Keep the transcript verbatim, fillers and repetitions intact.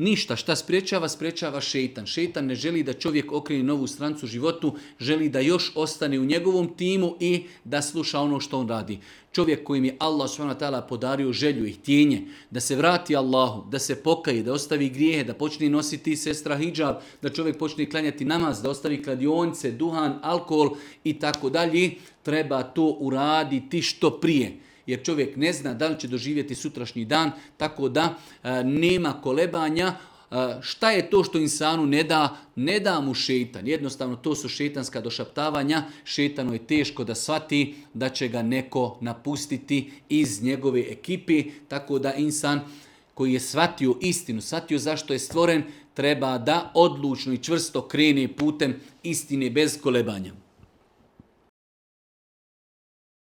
Ništa. Šta sprečava? Sprečava šeitan. Šeitan ne želi da čovjek okrene novu strancu životu, želi da još ostane u njegovom timu i da sluša ono što on radi. Čovjek kojim je Allah subhanahu wa ta'ala podario želju i htjenje da se vrati Allahu, da se pokaje, da ostavi grijehe, da počne nositi sestra hidžab, da čovjek počne klanjati namaz, da ostavi kladionice, duhan, alkohol i tako dalje, treba to uraditi što prije. Jer čovjek ne zna da li će doživjeti sutrašnji dan, tako da e, nema kolebanja. Šta je to što insanu ne da? Ne da mu šeitan. Jednostavno to su šeitanska došaptavanja. Šeitanu je teško da shvati da će ga neko napustiti iz njegove ekipe. Tako da insan koji je shvatio istinu, shvatio zašto je stvoren, treba da odlučno i čvrsto krene putem istine bez kolebanja.